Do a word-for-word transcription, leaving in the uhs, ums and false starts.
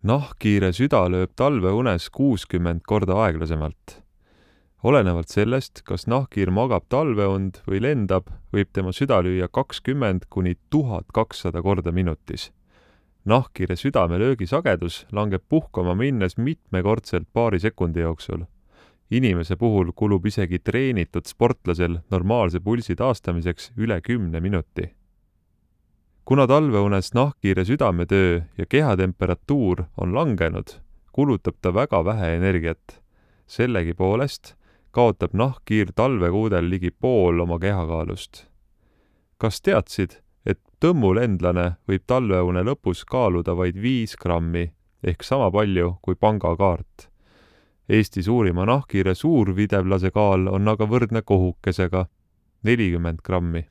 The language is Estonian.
Nahkhiire süda lööb talveunes kuuskümmend korda aeglasemalt. Olenevalt sellest, kas nahkhiir magab talveund või lendab, võib tema süda lüüa kakskümmend kuni tuhat kakssada korda minutis. Nahkhiire südamelöögi sagedus langeb puhkama minnes mitmekordselt paari sekundi jooksul. Inimese puhul kulub isegi treenitud sportlasel normaalse pulsi taastamiseks üle kümne minuti. Kuna talveunes nahkhiire südametöö ja kehatemperatuur on langenud, kulutab ta väga vähe energiat. Sellegi poolest kaotab nahkhiir talvekuudel ligi pool oma kehakaalust. Kas teadsid, et tõmmulendlane võib talveune lõpus kaaluda vaid viis grammi ehk sama palju kui pangakaart? Eesti suurima nahkhiire suurvidevlase kaal on aga võrdne kohukesega nelikümmend grammi.